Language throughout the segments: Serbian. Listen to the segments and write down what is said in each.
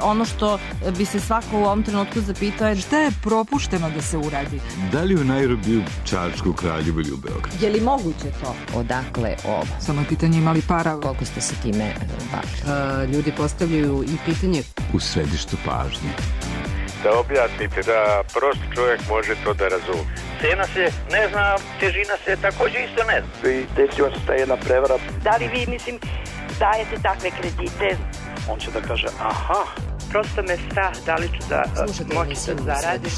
ono što bi se svako u ovom trenutku zapitao je šta je propušteno da se uradi? Da li u Nairobiju, Čačku, Kraljevu ili u Beogradu? Je li moguće to? Odakle ovo? Samo je pitanje imali para. Koliko ste se time bavili? Ljudi postavljaju i pitanje U središtu pažnje. Da objasnite, da prost čovjek može to da razumije. Cena se ne zna, težina se također isto ne zna. I desila se ta jedna prevara. Da li vi, dajete takve kredite? On će da kaže, aha. Prosto me strah, da li ću da moći da zaradim.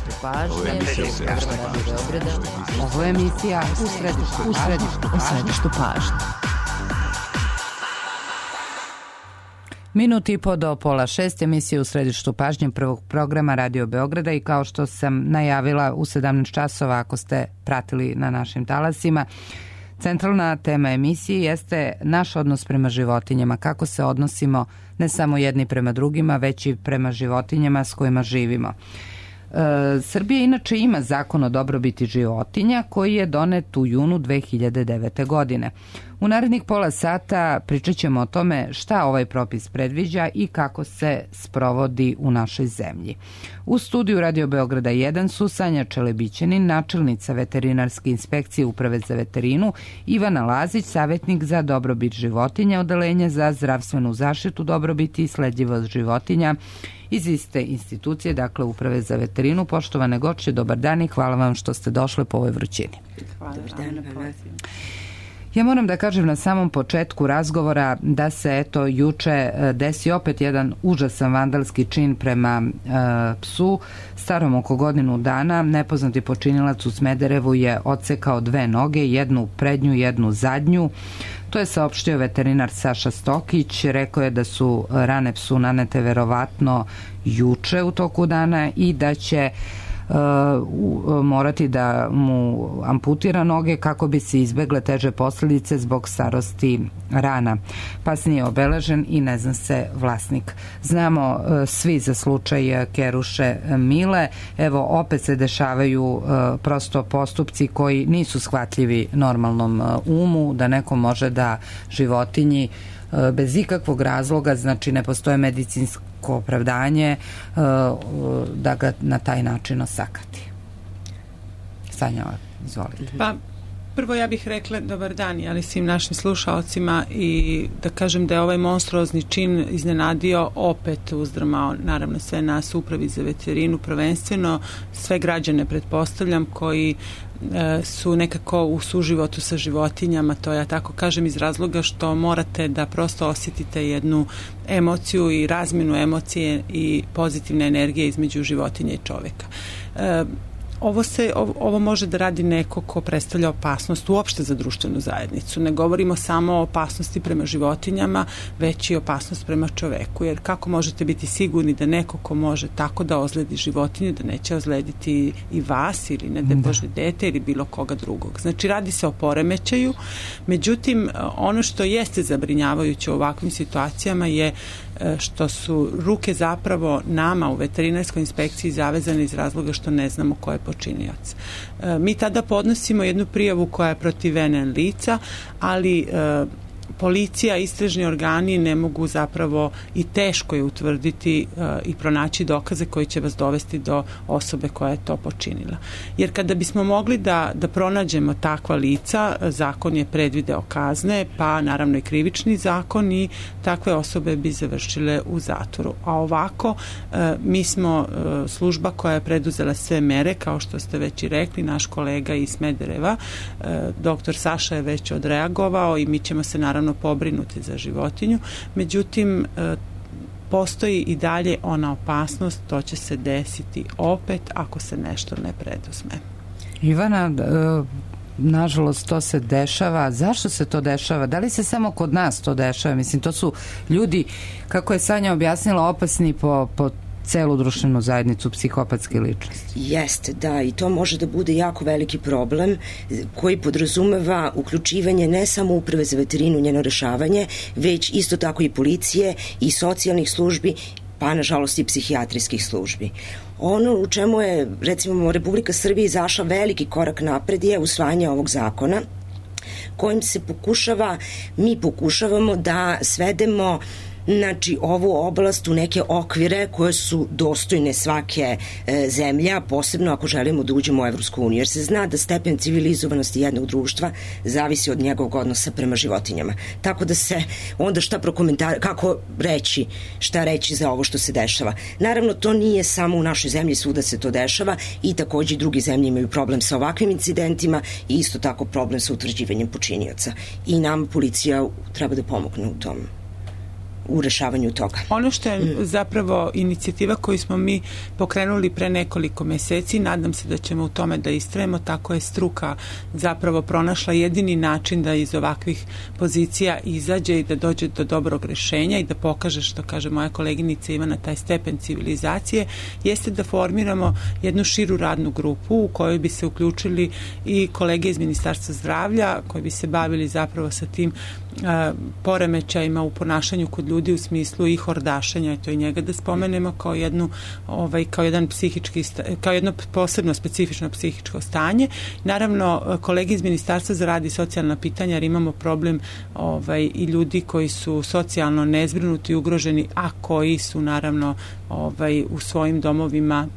Ovo je emisija u središtu pažnje. Minut i po do 5:30 emisije u središtu pažnje prvog programa Radio Beograda i kao što sam najavila u 17 časova ako ste pratili na našim talasima, centralna tema emisije jeste naš odnos prema životinjama, kako se odnosimo ne samo jedni prema drugima, već i prema životinjama s kojima živimo. Srbija inače ima zakon o dobrobiti životinja koji je donet u junu 2009. godine. U narednih pola sata pričat ćemo o tome šta ovaj propis predviđa i kako se sprovodi u našoj zemlji. U studiju Radio Beograda 1 su Sanja Čelebićanin, načelnica veterinarske inspekcije Uprave za veterinu, Ivana Lazić, savjetnik za dobrobit životinja, odeljenja za zdravstvenu zaštitu, dobrobiti i sledljivost životinja iz iste institucije, dakle Uprave za veterinu. Poštovane gošće, dobar dan i hvala vam što ste došli po ovoj vrućini. Hvala vam. Ja moram da kažem na samom početku razgovora da se eto juče desi opet jedan užasan vandalski čin prema psu starom oko godinu dana. Nepoznati počinilac u Smederevu je odsekao 2 noge, jednu prednju, jednu zadnju. To je saopštio veterinar Saša Stokić. Rekao je da su rane psu nanete verovatno juče u toku dana i da će morati da mu amputira noge kako bi se izbegle teže posljedice zbog starosti rana. Pas nije obeležen i ne zna se vlasnik. Znamo svi za slučaj Keruše Mile. Evo, opet se dešavaju prosto postupci koji nisu shvatljivi normalnom umu, da neko može da životinji bez ikakvog razloga, znači ne postoje medicinsko opravdanje da ga na taj način osakati. Sanja, izvolite. Pa, prvo ja bih rekla dobar dan, ali svim našim slušalcima i da kažem da je ovaj monstruozni čin iznenadio, opet uzdrmao naravno sve nas u Upravi za veterinu, prvenstveno sve građane pretpostavljam koji su nekako u suživotu sa životinjama, to ja tako kažem iz razloga što morate da prosto osjetite jednu emociju i razmjenu emocije i pozitivne energije između životinja i čovjeka. Ovo može da radi neko ko predstavlja opasnost uopšte za društvenu zajednicu. Ne govorimo samo o opasnosti prema životinjama, već i opasnost prema čoveku. Jer kako možete biti sigurni da neko ko može tako da ozledi životinju, da neće ozlediti i vas ili ne da Bože dete ili bilo koga drugog. Znači radi se o poremećaju. Međutim, ono što jeste zabrinjavajuće u ovakvim situacijama je što su ruke zapravo nama u veterinarskoj inspekciji zavezane iz razloga što ne znamo ko je počinioc. Mi tada podnosimo jednu prijavu koja je protiv NN lica, ali policija, istražni organi ne mogu zapravo i teško je utvrditi i pronaći dokaze koji će vas dovesti do osobe koja je to počinila. Jer kada bismo mogli da pronađemo takva lica, zakon je predvideo kazne, pa naravno i krivični zakon i takve osobe bi završile u zatvoru. A ovako mi smo služba koja je preduzela sve mere, kao što ste već i rekli, naš kolega iz Smedereva, doktor Saša je već odreagovao i mi ćemo se naravno pobrinuti za životinju. Međutim, postoji i dalje ona opasnost, to će se desiti opet ako se nešto ne preduzme. Ivana, nažalost to se dešava. Zašto se to dešava? Da li se samo kod nas to dešava? Mislim, to su ljudi, kako je Sanja objasnila, opasni po celu društvenu zajednicu, psihopatske ličnosti. Jeste, da, i to može da bude jako veliki problem koji podrazumeva uključivanje ne samo Uprave za veterinu, njeno rešavanje, već isto tako i policije i socijalnih službi, pa nažalost i psihijatrijskih službi. Ono u čemu je, recimo, Republika Srbija izašla veliki korak napred je usvajanje ovog zakona kojim se mi pokušavamo da svedemo znači ovu oblast u neke okvire koje su dostojne svake zemlje, a posebno ako želimo da uđemo u Evropsku uniju, jer se zna da stepen civilizovanosti jednog društva zavisi od njegovog odnosa prema životinjama. Tako da se onda kako reći, šta reći za ovo što se dešava. Naravno, to nije samo u našoj zemlji, svuda se to dešava i takođe drugi zemlje imaju problem sa ovakvim incidentima i isto tako problem sa utvrđivanjem počinioca. I nam policija treba da pomogne u tom, u rešavanju toga. Ono što je zapravo inicijativa koju smo mi pokrenuli pre nekoliko meseci, nadam se da ćemo u tome da istrajemo, tako je struka zapravo pronašla jedini način da iz ovakvih pozicija izađe i da dođe do dobrog rešenja i da pokaže, što kaže moja koleginica Ivana, taj stepen civilizacije, jeste da formiramo jednu širu radnu grupu u kojoj bi se uključili i kolege iz Ministarstva zdravlja koji bi se bavili zapravo sa tim poremećajima u ponašanju kod ljudi u smislu i hordašenja, to i njega da spomenemo kao kao jedno posebno specifično psihičko stanje. Naravno, kolege iz Ministarstva za rad i socijalna pitanja, jer imamo problem i ljudi koji su socijalno nezbrinuti i ugroženi, a koji su naravno u svojim domovima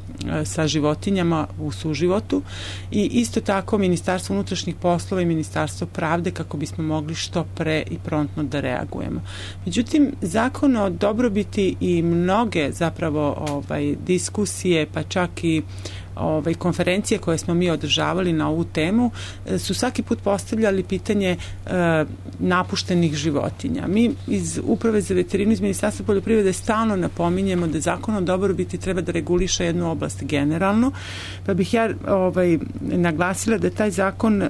sa životinjama u suživotu, i isto tako Ministarstvo unutrašnjih poslova i Ministarstvo pravde, kako bismo mogli što pre i promptno da reagujemo. Međutim, zakon o dobrobiti i mnoge zapravo diskusije, pa čak i konferencije koje smo mi održavali na ovu temu su svaki put postavljali pitanje napuštenih životinja. Mi iz Uprave za veterinu iz Ministarstva poljoprivrede stalno napominjemo da zakon o dobrobiti treba da reguliše jednu oblast generalno, pa bih ja naglasila da taj zakon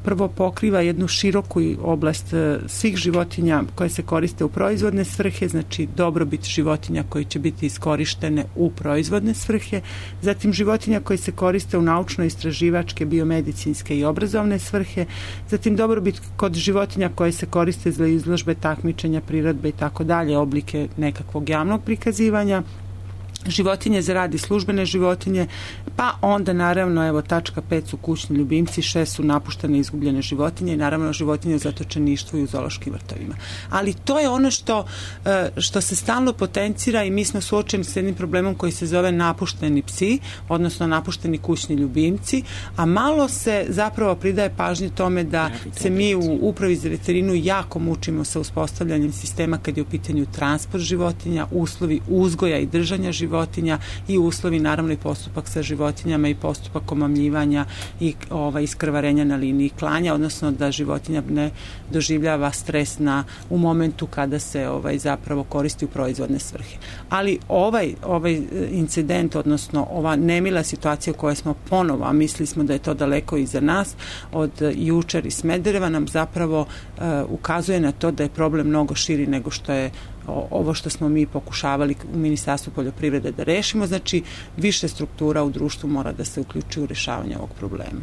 prvo pokriva jednu široku oblast svih životinja koje se koriste u proizvodne svrhe, znači dobrobit životinja koje će biti iskorištene u proizvodne svrhe, zatim životinja koji se koriste u naučno-istraživačke, biomedicinske i obrazovne svrhe, zatim dobrobit kod životinja koje se koriste za izložbe, takmičenja, priredbe i tako dalje, oblike nekakvog javnog prikazivanja, životinje za rad i službene životinje, pa onda naravno, tačka 5 su kućni ljubimci, 6 su napuštene i izgubljene životinje i naravno životinje u zatočeništvu i u zoološkim vrtovima. Ali to je ono što se stalno potencira i mi smo suočeni s jednim problemom koji se zove napušteni psi, odnosno napušteni kućni ljubimci, a malo se zapravo pridaje pažnje tome da se mi u Upravi za veterinu jako mučimo sa uspostavljanjem sistema kad je u pitanju transport životinja, uslovi uzgoja i držanja životinja i uslovi, naravno i postupak sa životinjama i postupak omamljivanja i iskrvarenja na liniji klanja, odnosno da životinja ne doživljava stres u momentu kada se zapravo koristi u proizvodne svrhe. Ali ovaj incident, odnosno ova nemila situacija koja smo ponovo, a mislili smo da je to daleko iza nas, od jučer iz Smedereva nam zapravo ukazuje na to da je problem mnogo širi nego što je ovo što smo mi pokušavali u Ministarstvu poljoprivrede da rešimo. Znači, više struktura u društvu mora da se uključi u rešavanje ovog problema.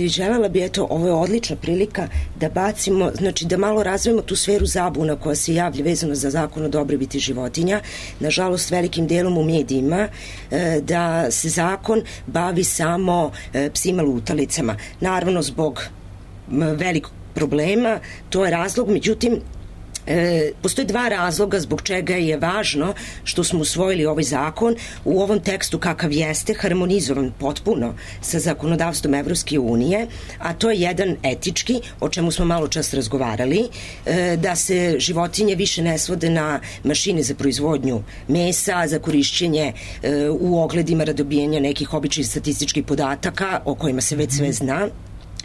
Želela bi, ovo je odlična prilika da bacimo, znači da malo razvijemo tu sferu zabuna koja se javlja vezano za zakon o dobrobiti životinja, nažalost velikim delom u medijima, da se zakon bavi samo psima lutalicama. Naravno, zbog velikog problema, to je razlog, međutim, postoje dva razloga zbog čega je važno što smo usvojili ovaj zakon u ovom tekstu kakav jeste, harmonizovan potpuno sa zakonodavstvom Evropske unije, a to je jedan etički, o čemu smo malo čas razgovarali, da se životinje više ne svode na mašine za proizvodnju mesa, za korišćenje u ogledima radobijanja nekih običnih statističkih podataka o kojima se već sve zna,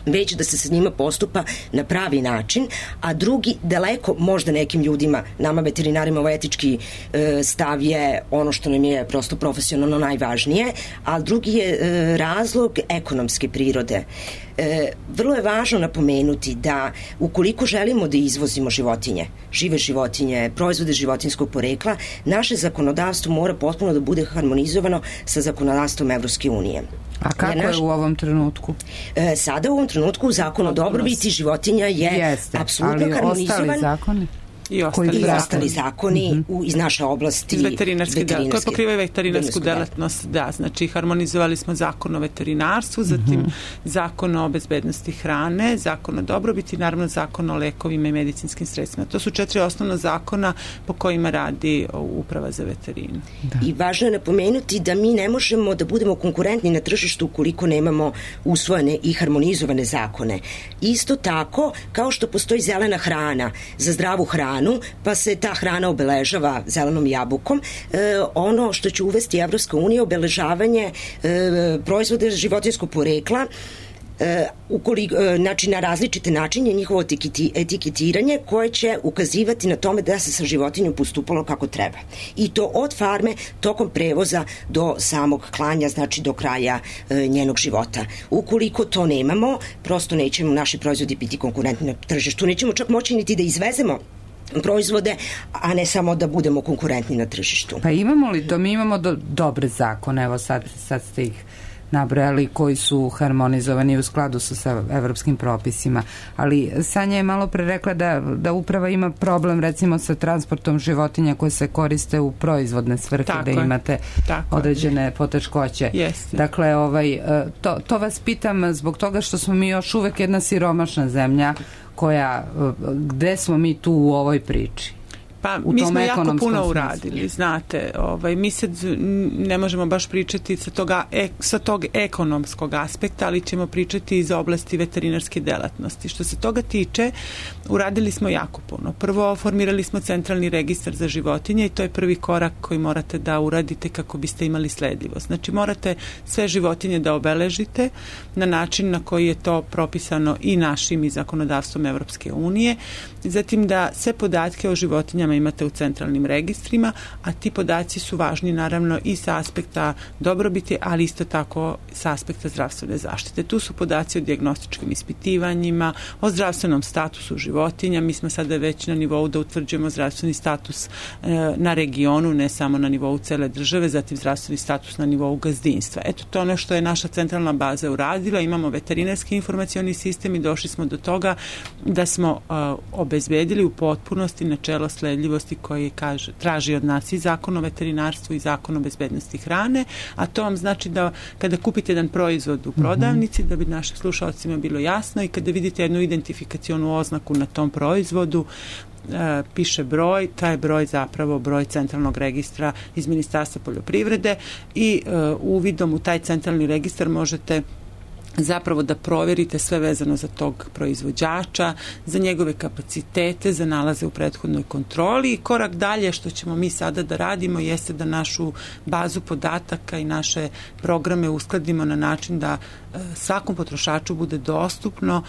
već da se sa njima postupa na pravi način, a drugi, daleko možda nekim ljudima, nama veterinarima, ovo etički stav je ono što nam je prosto profesionalno najvažnije, a drugi je razlog ekonomske prirode. Vrlo je važno napomenuti da ukoliko želimo da izvozimo životinje, žive životinje, proizvode životinjskog porekla, naše zakonodavstvo mora potpuno da bude harmonizovano sa zakonodavstvom Evropske unije. A kako je u ovom trenutku? Sada u ovom trenutku zakon o dobrobiti životinja je apsolutno harmonizovan. Ali ostali zakoni? i ostali zakoni iz naše oblasti. Veterinarski delatnost, koje pokrivaju veterinarsku delatnost, da, znači harmonizovali smo zakon o veterinarstvu, zatim zakon o bezbednosti hrane, zakon o dobrobiti i naravno zakon o lekovima i medicinskim sredstvima. To su 4 osnovna zakona po kojima radi Uprava za veterinu. Da. I važno je napomenuti da mi ne možemo da budemo konkurentni na tržištu ukoliko nemamo usvojene i harmonizovane zakone. Isto tako, kao što postoji zelena hrana za zdravu hranu, pa se ta hrana obeležava zelenom jabukom, ono što će uvesti Evropska unija, obeležavanje proizvoda životinjskog porekla, znači na različite načine njihovo etiketiranje koje će ukazivati na tome da se sa životinjom postupalo kako treba. I to od farme tokom prevoza do samog klanja, znači do kraja njenog života. Ukoliko to nemamo, prosto nećemo naši proizvodi biti konkurentni na tržištu. Nećemo čak moći niti da izvezemo proizvode, a ne samo da budemo konkurentni na tržištu. Pa imamo li to? Mi imamo dobre zakone, evo sad ste ih nabrojali, koji su harmonizovani u skladu sa evropskim propisima. Ali Sanja je malo pre rekla da uprava ima problem recimo sa transportom životinja koje se koriste u proizvodne svrhe, da imate određene poteškoće. Dakle, to vas pitam zbog toga što smo mi još uvek jedna siromašna zemlja gde smo mi tu u ovoj priči? Pa mi smo jako puno uradili, znate, mi sad ne možemo baš pričati sa tog ekonomskog aspekta, ali ćemo pričati iz oblasti veterinarske delatnosti. Što se toga tiče, uradili smo jako puno. Prvo, formirali smo centralni registar za životinje i to je prvi korak koji morate da uradite kako biste imali sledljivost. Znači, morate sve životinje da obeležite na način na koji je to propisano i našim i zakonodavstvom Evropske unije. Zatim da sve podatke o životinjama imate u centralnim registrima, a ti podaci su važni naravno i sa aspekta dobrobiti, ali isto tako sa aspekta zdravstvene zaštite. Tu su podaci o dijagnostičkim ispitivanjima, o zdravstvenom statusu životinja. Mi smo sada već na nivou da utvrđujemo zdravstveni status na regionu, ne samo na nivou cele države, zatim zdravstveni status na nivou gazdinstva. Eto, to ono što je naša centralna baza uradila. Imamo veterinarski informacioni sistem i došli smo do toga da smo obezbedili u potpunosti načelo sledljivosti koji traži od nas i zakon o veterinarstvu i zakon o bezbednosti hrane, a to vam znači da kada kupite jedan proizvod u prodavnici, da bi našim slušalcima bilo jasno, i kada vidite jednu identifikacionu oznaku na tom proizvodu, piše broj, taj broj zapravo broj centralnog registra iz Ministarstva poljoprivrede i uvidom u taj centralni registar možete zapravo da proverite sve vezano za tog proizvođača, za njegove kapacitete, za nalaze u prethodnoj kontroli, i korak dalje što ćemo mi sada da radimo jeste da našu bazu podataka i naše programe uskladimo na način da svakom potrošaču bude dostupno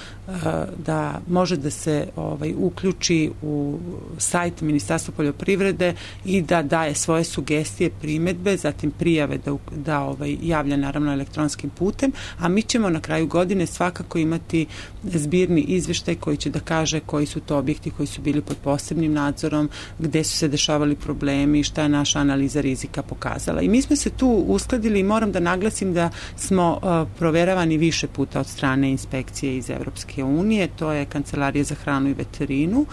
da može da se uključi u sajt Ministarstva poljoprivrede i da daje svoje sugestije, primedbe, zatim prijave da javlja naravno elektronskim putem, a mi ćemo na kraju godine svakako imati zbirni izveštaj koji će da kaže koji su to objekti koji su bili pod posebnim nadzorom, gde su se dešavali problemi, šta je naša analiza rizika pokazala. I mi smo se tu uskladili i moram da naglasim da smo proveravani više puta od strane inspekcije iz Evropske unije, to je Kancelarija za hranu i veterinu,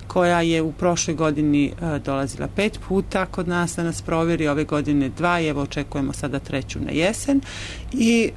koja je u prošloj godini dolazila 5 puta kod nas da nas proveri, ove godine 2 i evo očekujemo sada 3 na jesen, i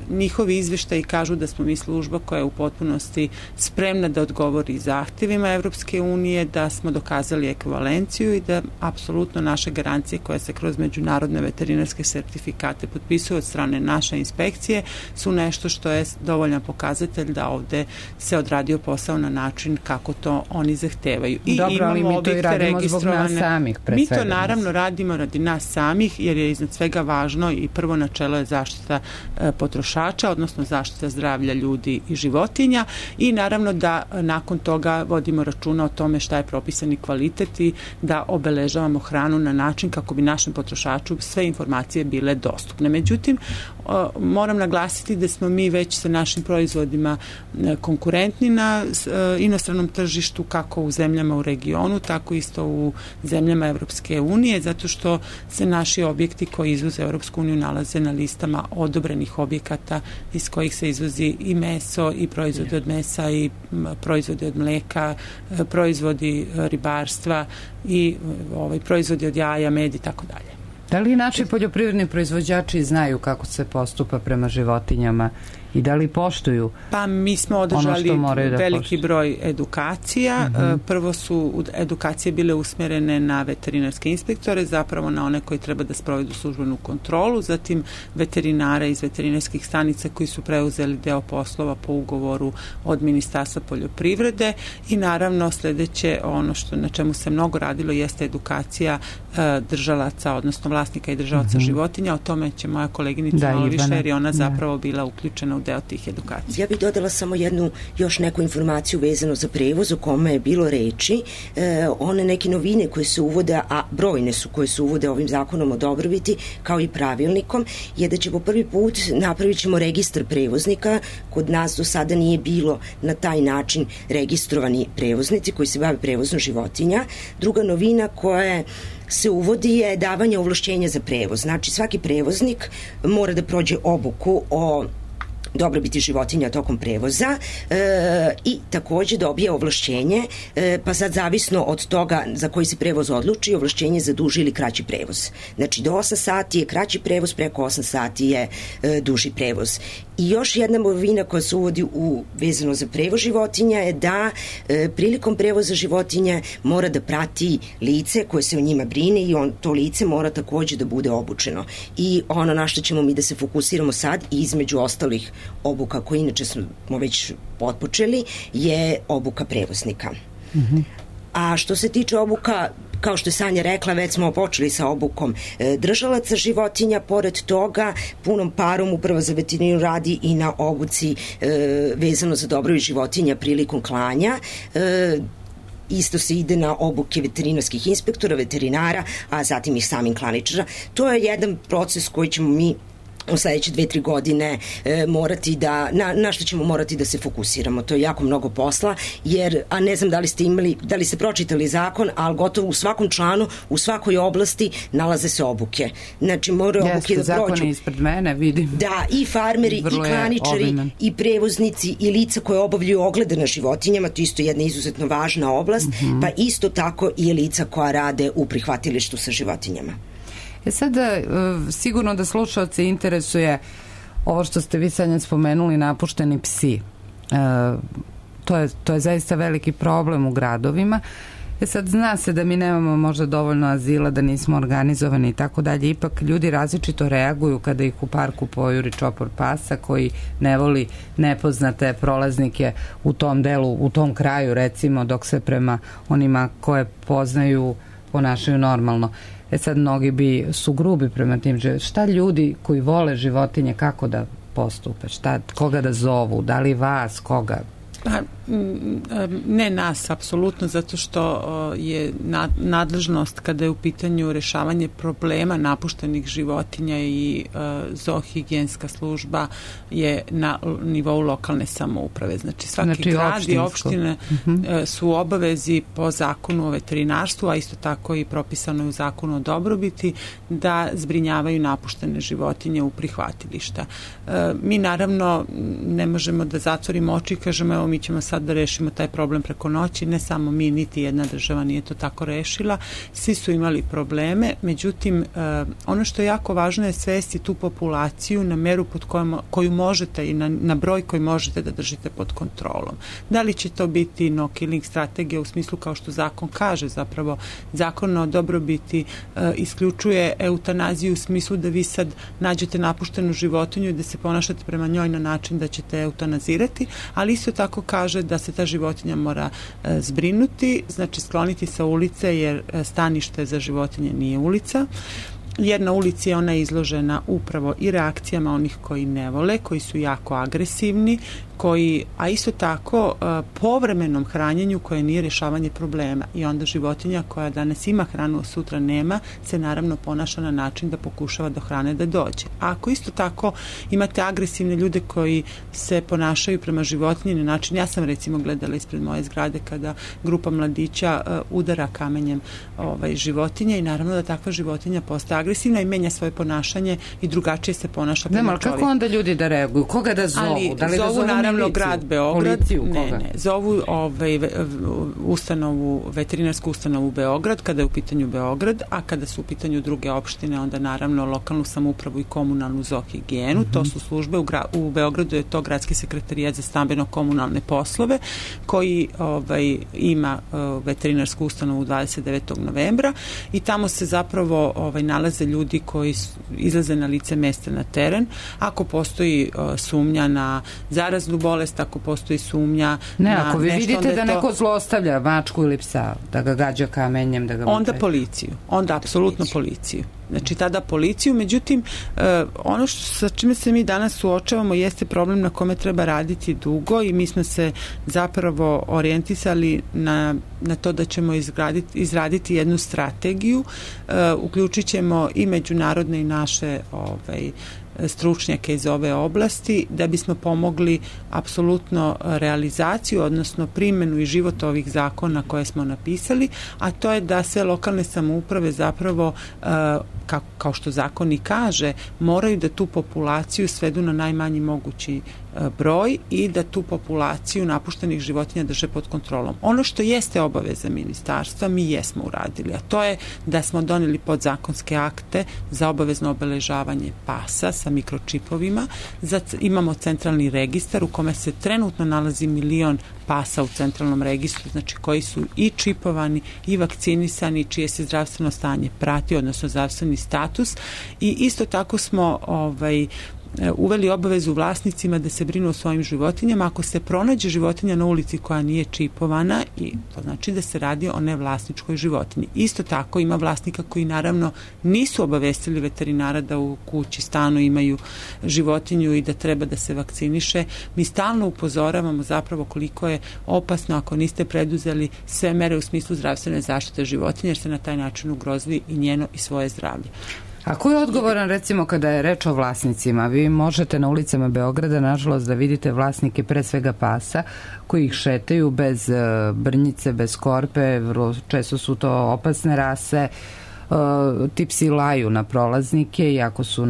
njihovi izveštaji kažu da smo mi služba koja je u potpunosti spremna da odgovori zahtevima Evropske unije, da smo dokazali ekvivalenciju i da apsolutno naše garancije koje se kroz međunarodne veterinarske sertifikate potpisuju od strane naše inspekcije su nešto što je dovoljan pokazatelj da ovde se odradio posao na način kako to oni zahtevaju. I dobro, ali mi to i radimo zbog nas samih. Mi to naravno radimo radi nas samih, jer je iznad svega važno i prvo načelo je zaštita potrošača, odnosno zaštita zdravlja ljudi i životinja, i naravno da nakon toga vodimo računa o tome šta je propisani kvalitet i da obeležavamo hranu na način kako bi našem potrošaču sve informacije bile dostupne. Međutim, moram naglasiti da smo mi već sa našim proizvodima konkurentni na inostranom tržištu, kako u zemljama u regionu, tako isto u zemljama Evropske unije, zato što se naši objekti koji izvoze Evropsku uniju nalaze na listama odobrenih objekata iz kojih se izvozi i meso i proizvodi od mesa i proizvodi od mleka, proizvodi ribarstva i proizvodi od jaja, med i tako dalje. Da li naši poljoprivredni proizvođači znaju kako se postupa prema životinjama i da li poštuju? Pa mi smo održali veliki broj edukacija. Prvo su edukacije bile usmjerene na veterinarske inspektore, zapravo na one koji treba da sprovedu službenu kontrolu, zatim veterinara iz veterinarskih stanica koji su preuzeli deo poslova po ugovoru od Ministarstva poljoprivrede i naravno sledeće, ono na čemu se mnogo radilo, jeste edukacija držalaca, odnosno vlasnika i držalaca životinja. O tome će moja koleginica malo više, jer je ona zapravo bila uključena u deo tih edukacija. Ja bih dodala samo još neku informaciju vezano za prevoz o kome je bilo reči. One neke novine koje se uvode, a brojne su koje se uvode ovim zakonom o dobrobiti, kao i pravilnikom, je da ćemo prvi put napravit ćemo registar prevoznika. Kod nas do sada nije bilo na taj način registrovani prevoznici koji se bave prevozom životinja. Druga novina koja se uvodi je davanje ovlašćenja za prevoz. Znači, svaki prevoznik mora da prođe obuku o dobrobiti životinja tokom prevoza i takođe dobije ovlašćenje, pa sad zavisno od toga za koji se prevoz odluči, ovlašćenje za duži ili kraći prevoz. Znači, do 8 sati je kraći prevoz, preko 8 sati je duži prevoz. I još jedna novina koja se uvodi vezano za prevoz životinja je da prilikom prevoza životinja mora da prati lice koje se o njima brine i to lice mora takođe da bude obučeno. I ono na što ćemo mi da se fokusiramo sad, između ostalih obuka koje inače smo već otpočeli, je obuka prevoznika. A što se tiče obuka, kao što je Sanja rekla, već smo počeli sa obukom držalaca životinja. Pored toga, punom parom Uprava za veterinu radi i na obuci vezano za dobrobit životinja prilikom klanja. Isto se ide na obuke veterinarskih inspektora, veterinara, a zatim i samim klaničara. To je jedan proces koji ćemo mi u sledeće 2-3 godine morati na što ćemo morati da se fokusiramo. To je jako mnogo posla, jer, a ne znam da li ste pročitali zakon, ali gotovo u svakom članu, u svakoj oblasti nalaze se obuke. Znači, moraju obuke da prođu. Zakon je ispred mene, vidim. Da, i farmeri, i klaničari, i prevoznici, i lica koje obavljaju oglede na životinjama, to isto je jedna izuzetno važna oblast, pa isto tako i lica koja rade u prihvatilištu sa životinjama. Sad, sigurno da slušalce interesuje ovo što ste vi sad spomenuli, napušteni psi. To je zaista veliki problem u gradovima. Sad, zna se da mi nemamo možda dovoljno azila, da nismo organizovani i tako dalje. Ipak ljudi različito reaguju kada ih u parku pojuri čopor pasa koji ne voli nepoznate prolaznike u tom delu, u tom kraju, recimo, dok se prema onima koje poznaju ponašaju normalno. Sad, mnogi su grubi prema tim životinjama. Šta ljudi koji vole životinje, kako da postupe? Koga da zovu? Da li vas? Koga? Pa, ne nas, apsolutno, zato što je nadležnost kada je u pitanju rešavanje problema napuštenih životinja i zoohigijenska služba je na nivou lokalne samouprave. Znači, svaki grad i opštine su u obavezi po zakonu o veterinarstvu, a isto tako i propisano u zakonu o dobrobiti, da zbrinjavaju napuštene životinje u prihvatilišta. Mi naravno ne možemo da zatvorimo oči i kažemo, evo, mi ćemo sad da rešimo taj problem preko noći. Ne samo mi, niti jedna država nije to tako rešila. Svi su imali probleme, međutim, ono što je jako važno je svesti tu populaciju na meru pod koju možete i na broj koji možete da držite pod kontrolom. Da li će to biti no killing strategija u smislu kao što zakon kaže, zapravo zakon o dobrobiti isključuje eutanaziju u smislu da vi sad nađete napuštenu životinju i da se ponašate prema njoj na način da ćete eutanazirati, ali isto tako kaže da se ta životinja mora zbrinuti, znači skloniti sa ulice, jer stanište za životinje nije ulica. Jer na ulici je ona izložena upravo i reakcijama onih koji ne vole, koji su jako agresivni, a isto tako povremenom hranjenju koje nije rješavanje problema. I onda životinja koja danas ima hranu, a sutra nema, se naravno ponaša na način da pokušava do hrane da dođe. A ako isto tako imate agresivne ljude koji se ponašaju prema životinji na način, ja sam recimo gledala ispred moje zgrade kada grupa mladića udara kamenjem životinje i naravno da takva životinja postaje agresivna i menja svoje ponašanje i drugačije se ponaša prema čovjeku. Kako onda ljudi da reaguju? Koga da zovu? Da li zovu naravno miliciju? grad Beograd? Policiju? Ne. Zovu veterinarsku ustanovu Beograd kada je u pitanju Beograd, a kada su u pitanju druge opštine, onda naravno lokalnu samoupravu i komunalnu zoohigijenu. To su službe, u Beogradu je to Gradski sekretarijat za stambeno-komunalne poslove koji ima veterinarsku ustanovu 29. novembra i tamo se zapravo nalaze ljudi koji izlaze na lice mesta na teren. Ako postoji sumnja na zaraznu bolest, ako postoji sumnja na ako vi nešto, vidite da neko zlostavlja mačku ili psa, da ga gađa kamenjem, da ga onda policiju, onda apsolutno policiju. Znači tada policiju, međutim ono sa čime se mi danas suočavamo jeste problem na kome treba raditi dugo i mi smo se zapravo orijentisali na to da ćemo izraditi jednu strategiju, uključit ćemo i međunarodne i naše stručnjake iz ove oblasti da bismo pomogli apsolutno realizaciju, odnosno primjenu i život ovih zakona koje smo napisali, a to je da sve lokalne samouprave zapravo, kao što zakon i kaže, moraju da tu populaciju svedu na najmanji mogući broj i da tu populaciju napuštenih životinja drže pod kontrolom. Ono što jeste obaveza ministarstva, mi jesmo uradili, a to je da smo doneli podzakonske akte za obavezno obeležavanje pasa sa mikročipovima. Imamo centralni registar u kome se trenutno nalazi 1 milion pasa u centralnom registru, znači koji su i čipovani i vakcinisani, čije se zdravstveno stanje prati, odnosno zdravstveni status, i isto tako smo uveli obavezu vlasnicima da se brinu o svojim životinjama. Ako se pronađe životinja na ulici koja nije čipovana, i to znači da se radi o nevlasničkoj životinji. Isto tako ima vlasnika koji naravno nisu obavestili veterinara da u kući, stanu imaju životinju i da treba da se vakciniše. Mi stalno upozoravamo zapravo koliko je opasno ako niste preduzeli sve mere u smislu zdravstvene zaštite životinja, jer ste na taj način ugrozili i njeno i svoje zdravlje. A ko je odgovoran, recimo, kada je reč o vlasnicima? Vi možete na ulicama Beograda, nažalost, da vidite vlasnike pre svega pasa koji ih šetaju bez brnjice, bez korpe, često su to opasne rase, ti psi laju na prolaznike, iako su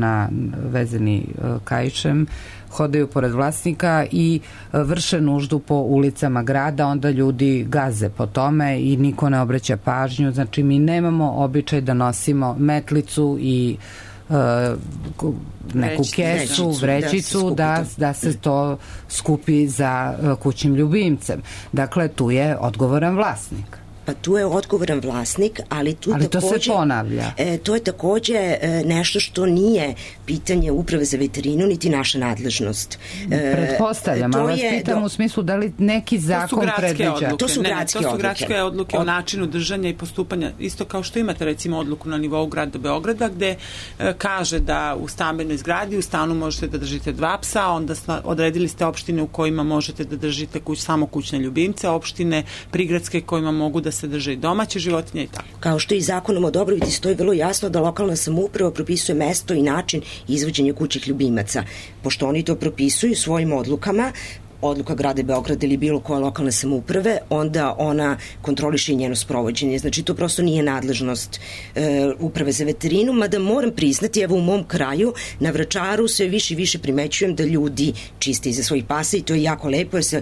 vezani kaišem, hodaju pored vlasnika i vrše nuždu po ulicama grada, onda ljudi gaze po tome i niko ne obraća pažnju. Znači, mi nemamo običaj da nosimo metlicu i neku kesu, vrećicu, da se to skupi za kućnim ljubimcem. Dakle, tu je odgovoran vlasnik. Pa tu je odgovoran vlasnik, ali to se ponavlja. To je takođe nešto što nije pitanje Uprave za veterinu, niti naša nadležnost. Pretpostavljam, ali vas pitam u smislu da li neki zakon predviđa. To su gradske odluke o načinu držanja i postupanja. Isto kao što imate recimo odluku na nivou grada Beograda gde kaže da u stambenoj zgradi u stanu možete da držite 2 psa, onda odredili ste opštine u kojima možete da držite samo kućne ljubimce, opštine prigradske kojima mogu da se drže i domaće životinje i tako. Kao što i zakonom o dobrobiti stoji vrlo jasno da lokalna samouprava propisuje mesto i način izvođenja kućnih ljubimaca. Pošto oni to propisuju svojim odlukama, odluka grada Beograda ili bilo koje lokalne samouprave, onda ona kontroliše i njeno sprovođenje. Znači, to prosto nije nadležnost Uprave za veterinu, mada moram priznati, evo u mom kraju, na Vračaru sve više i više primećujem da ljudi čiste iza svojih pasa i to je jako lepo, jer se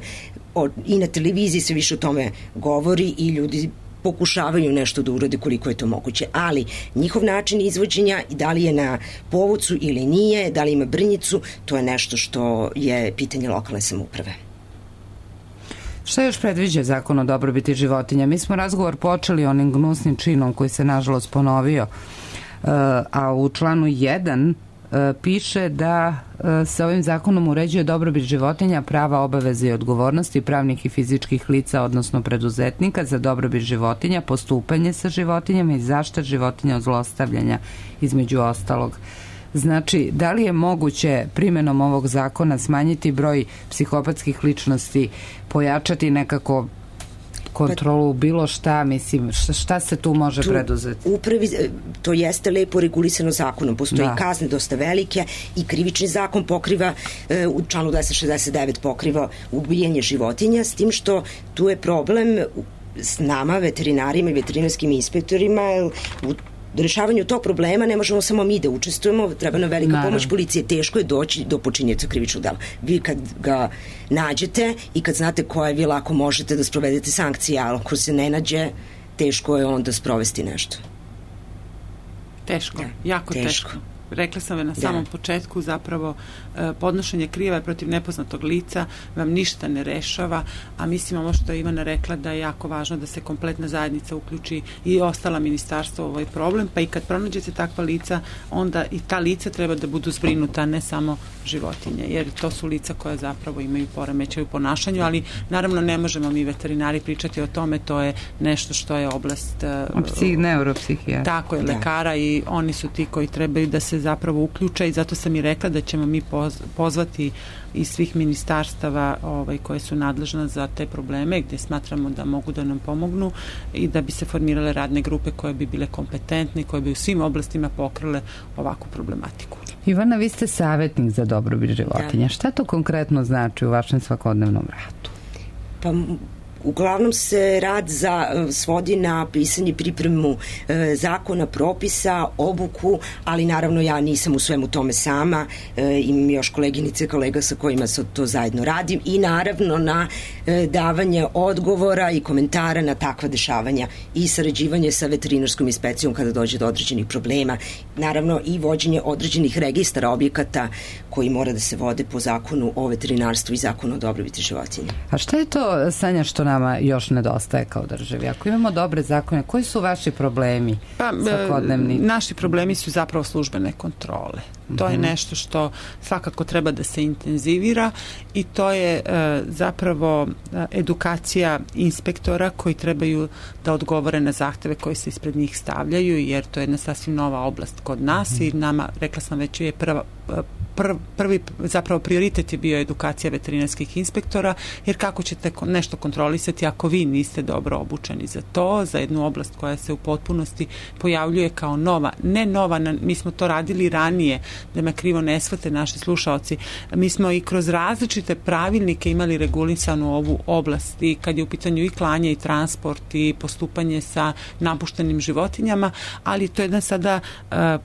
i na televiziji se više o tome govori i ljudi pokušavaju nešto da urade koliko je to moguće, ali njihov način izvođenja, da li je na povodcu ili nije, da li ima brnjicu, to je nešto što je pitanje lokalne samouprave. Šta još predviđa zakon o dobrobiti životinja? Mi smo razgovor počeli onim gnusnim činom koji se nažalost ponovio, a u članu 1 piše da se ovim zakonom uređuje dobrobit životinja, prava, obaveze i odgovornosti pravnih i fizičkih lica, odnosno preduzetnika za dobrobit životinja, postupanje sa životinjama i zaštita životinja od zlostavljanja, između ostalog. Znači, da li je moguće primjenom ovog zakona smanjiti broj psihopatskih ličnosti, pojačati nekako kontrolu, bilo šta, mislim, šta se tu može preduzeti? To jeste lepo regulisano zakonom, postoji kazne dosta velike i krivični zakon pokriva, u članu 269 pokriva ubijanje životinja, s tim što tu je problem s nama, veterinarima i veterinarskim inspektorima, u rešavanju tog problema ne možemo samo mi da učestvujemo, treba nam velika pomoć policije, teško je doći do počinioca krivičnog dela. Vi kad ga nađete i kad znate koje vi lako možete da sprovedete sankcije, ali ako se ne nađe, teško je onda sprovesti nešto. Teško, jako teško. Rekla sam na samom početku, zapravo podnošenje prijave protiv nepoznatog lica vam ništa ne rešava, a mislim ovo što je Ivana rekla da je jako važno da se kompletna zajednica uključi i ostala ministarstva u ovaj problem, pa i kad pronađete takva lica, onda i ta lica treba da budu zbrinuta, ne samo životinje, jer to su lica koja zapravo imaju poremećaj u ponašanju, ali naravno ne možemo mi veterinari pričati o tome, to je nešto što je oblast neuropsihijatra. Tako je, lekara, i oni su ti koji trebaju da se zapravo uključe, i zato sam i rekla da ćemo mi pozvati iz svih ministarstava koje su nadležna za te probleme, gdje smatramo da mogu da nam pomognu, i da bi se formirale radne grupe koje bi bile kompetentne, koje bi u svim oblastima pokrile ovakvu problematiku. Ivana, vi ste savjetnik za dobrobit životinja. Šta to konkretno znači u vašem svakodnevnom radu? Pa uglavnom se rad svodi na pisanje i pripremu zakona, propisa, obuku, ali naravno ja nisam u svemu tome sama, imam još koleginice, kolega sa kojima to zajedno radim, i naravno na davanje odgovora i komentara na takva dešavanja i sarađivanje sa veterinarskom inspekcijom kada dođe do određenih problema, naravno i vođenje određenih registara objekata koji mora da se vode po zakonu o veterinarstvu i zakonu o dobrobiti životinja. A šta je to, Sanja, što nama još nedostaje kao državi? Ako imamo dobre zakone, koji su vaši problemi svakodnevni? Naši problemi su zapravo službene kontrole. To je nešto što svakako treba da se intenzivira, i to je zapravo edukacija inspektora koji trebaju da odgovore na zahteve koji se ispred njih stavljaju, jer to je jedna sasvim nova oblast kod nas i nama, rekla sam već, je prvi zapravo prioritet je bio edukacija veterinarskih inspektora, jer kako ćete nešto kontrolisati ako vi niste dobro obučeni za to, za jednu oblast koja se u potpunosti pojavljuje kao nova, ne nova, mi smo to radili ranije, da me krivo ne shvate naši slušaoci, mi smo i kroz različite pravilnike imali regulisanu ovu oblast, i kad je u pitanju i klanje i transport i postupanje sa napuštenim životinjama, ali to je jedan sada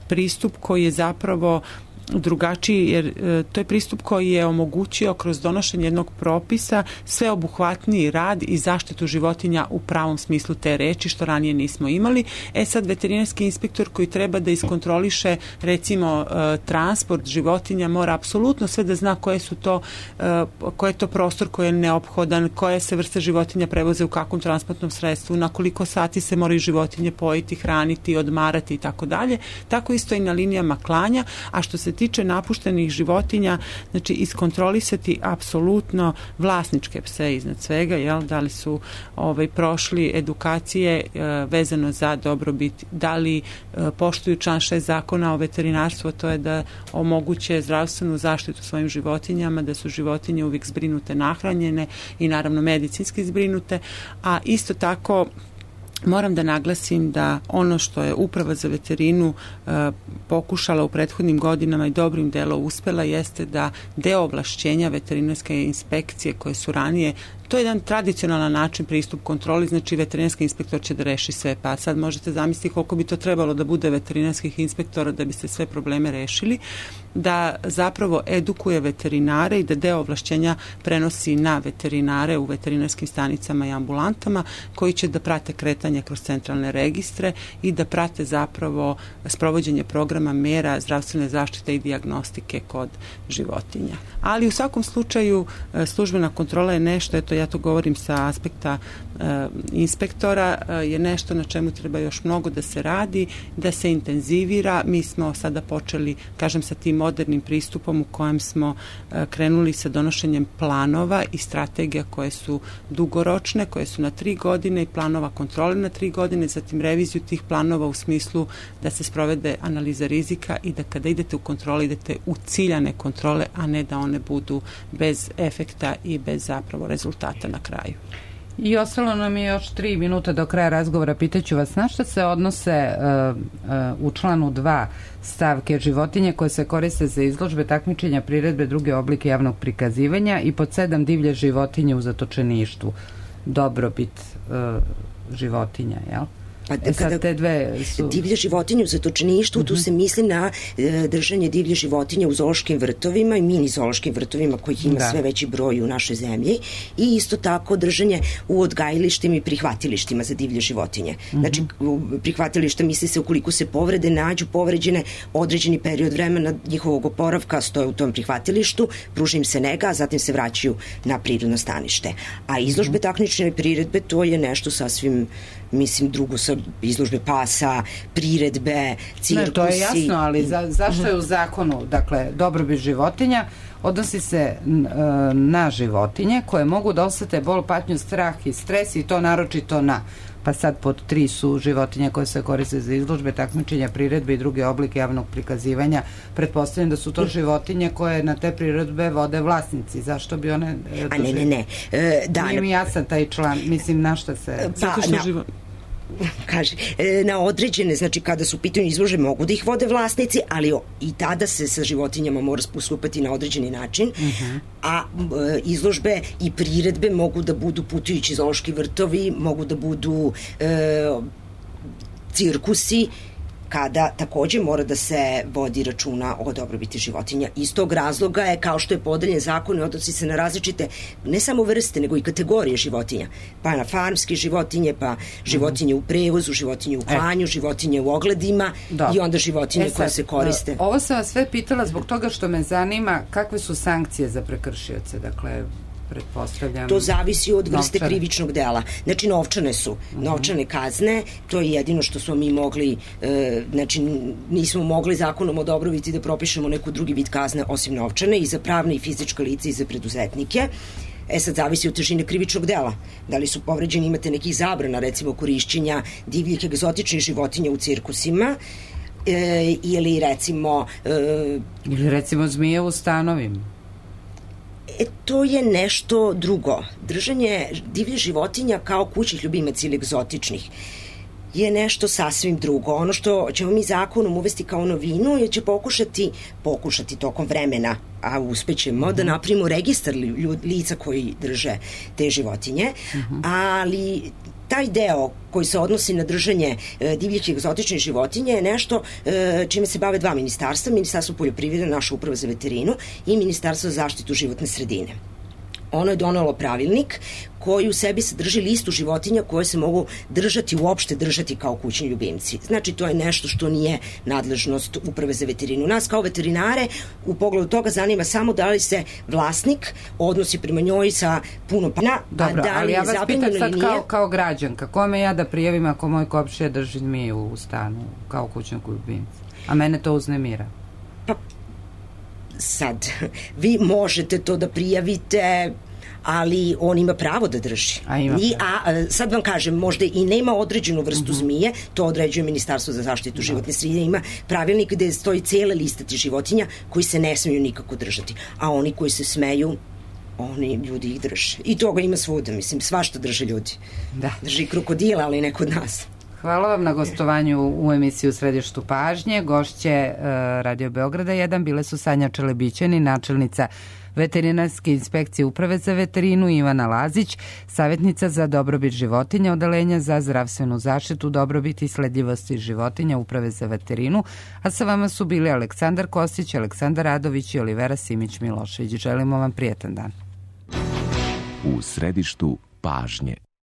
pristup koji je zapravo drugačiji, jer to je pristup koji je omogućio kroz donošenje jednog propisa sveobuhvatniji rad i zaštitu životinja u pravom smislu te reči, što ranije nismo imali. Sad veterinarski inspektor koji treba da iskontroliše recimo transport životinja mora apsolutno sve da zna koji je to prostor koji je neophodan, koje se vrste životinja prevoze u kakvom transportnom sredstvu, na koliko sati se moraju životinje pojiti, hraniti, odmarati i tako dalje. Tako isto i na linijama klanja, a što se tiče napuštenih životinja, znači iskontrolisati apsolutno vlasničke pse iznad svega, da li su prošli edukacije vezano za dobrobit, da li poštuju član 6 zakona o veterinarstvu, to je da omoguće zdravstvenu zaštitu svojim životinjama, da su životinje uvijek zbrinute, nahranjene i naravno medicinski zbrinute, a isto tako moram da naglasim da ono što je Uprava za veterinu pokušala u prethodnim godinama i dobrim delom uspela jeste da deo ovlašćenja veterinarske inspekcije koje su ranije, to je jedan tradicionalan način pristup kontroli, znači veterinarski inspektor će da reši sve, pa sad možete zamisliti koliko bi to trebalo da bude veterinarskih inspektora da biste sve probleme rešili, da zapravo edukuje veterinare i da deo ovlašćenja prenosi na veterinare u veterinarskim stanicama i ambulantama koji će da prate kretanje kroz centralne registre i da prate zapravo sprovođenje programa mera zdravstvene zaštite i dijagnostike kod životinja. Ali u svakom slučaju službena kontrola je nešto, zašto ja to govorim sa aspekta inspektora, je nešto na čemu treba još mnogo da se radi, da se intenzivira. Mi smo sada počeli, kažem, sa tim modernim pristupom u kojem smo krenuli sa donošenjem planova i strategija koje su dugoročne, koje su na 3 godine i planova kontrole na 3 godine, zatim reviziju tih planova u smislu da se sprovede analiza rizika i da kada idete u kontrole, idete u ciljane kontrole, a ne da one budu bez efekta i bez zapravo rezultata na kraju. I ostalo nam je još 3 minuta do kraja razgovora. Pitaću vas na što se odnose u članu 2 stavke životinje koje se koriste za izložbe, takmičenja, priredbe, druge oblike javnog prikazivanja i pod 7 divlje životinje u zatočeništvu. Dobrobit životinja, jel? Kada te dve su... divlje životinje u zatočeništvu, tu se misli na držanje divlje životinje u zoološkim vrtovima i mini zoološkim vrtovima kojih ima sve veći broj u našoj zemlji, i isto tako držanje u odgajilištima i prihvatilištima za divlje životinje. Znači, prihvatilišta misli se ukoliko se povrede, nađu povređene, određeni period vremena njihovog oporavka stoje u tom prihvatilištu, pruži im se nega, a zatim se vraćaju na prirodno stanište. A izložbe, takmičenja i priredbe, to je nešto sasvim, mislim, drugo, sa izložbe pasa, priredbe, cirkusi. Ne, to je jasno, ali zašto je u zakonu, dakle, dobrobit životinja odnosi se na životinje koje mogu da osete bol, patnju, strah i stres, i to naročito pa sad pod 3 su životinje koje se koriste za izložbe, takmičenja, priredbe i druge oblike javnog prikazivanja. Pretpostavljam da su to životinje koje na te priredbe vode vlasnici. Zašto bi one... Ne. Nije mi jasan taj član, mislim, na šta se... Kaže, na određene, znači kada su u pitanju izložbe mogu da ih vode vlasnici, ali i tada se sa životinjama mora postupati na određeni način, a izložbe i priredbe mogu da budu putujući zoološki vrtovi, mogu da budu cirkusi, kada takođe mora da se vodi računa o dobrobiti životinja. Iz tog razloga je, kao što je podeljen zakon, odnosi se na različite, ne samo vrste, nego i kategorije životinja. Pa na farmske životinje, pa životinje u prevozu, životinje u klanju, životinje u ogledima i onda životinje koje se koriste. Ovo sam vas sve pitala zbog toga što me zanima kakve su sankcije za prekršioce, dakle... pretpostavljam. To zavisi od vrste krivičnog dela. Znači, novčane su. Novčane kazne, to je jedino što smo mi mogli, znači, nismo mogli zakonom o dobrobiti da propišemo neku drugi vid kazne osim novčane, i za pravne i fizička lica i za preduzetnike. Sad zavisi od težine krivičnog dela. Da li su povređeni, imate nekih zabrana, recimo korišćenja divljih egzotičnih životinja u cirkusima, ili recimo zmije u stanovima. To je nešto drugo. Držanje divljih životinja kao kućnih ljubimaca ili egzotičnih je nešto sasvim drugo. Ono što ćemo mi zakonom uvesti kao novinu je će pokušati tokom vremena, a uspećemo da napravimo registar lica koji drže te životinje, ali taj deo koji se odnosi na držanje divljih i egzotičnih životinja je nešto čime se bave 2 ministarstva, Ministarstvo poljoprivrede, naša uprava za veterinu, i Ministarstvo za zaštitu životne sredine. Ono je donelo pravilnik koji u sebi sadrži listu životinja koje se mogu uopšte držati kao kućni ljubimci. Znači, to je nešto što nije nadležnost uprave za veterinu. Nas kao veterinare u pogledu toga zanima samo da li se vlasnik odnosi prema njoj sa puno pana, dobro, a da li je zabranjeno ili nije. Ali ja vas pitam sad kao građanka, kome ja da prijavim ako moj komšija drži zmiju u stanu kao kućnog ljubimca? A mene to uznemira. Pa, sad, vi možete to da prijavite, ali on ima pravo da drži. Sad vam kažem, možda i nema određenu vrstu zmije, to određuje Ministarstvo za zaštitu životne sredine, ima pravilnik gde stoji cijela lista tih životinja koji se ne smiju nikako držati, a oni koji se smeju, oni ljudi ih drže. I toga ima svuda, mislim, svašta drže ljudi. Drži krokodila, ali ne kod nas. Hvala vam na gostovanju u emisiju Središtu pažnje. Gošće Radio Beograda 1 bile su Sanja Čelebićani, načelnica Veterinarske inspekcije Uprave za veterinu, Ivana Lazić, savjetnica za dobrobit životinja Odeljenja za zdravstvenu zaštitu, dobrobit i sledljivosti životinja Uprave za veterinu, a sa vama su bili Aleksandar Kostić, Aleksandar Radović i Olivera Simić-Milošević. Želimo vam prijetan dan. U Središtu pažnje.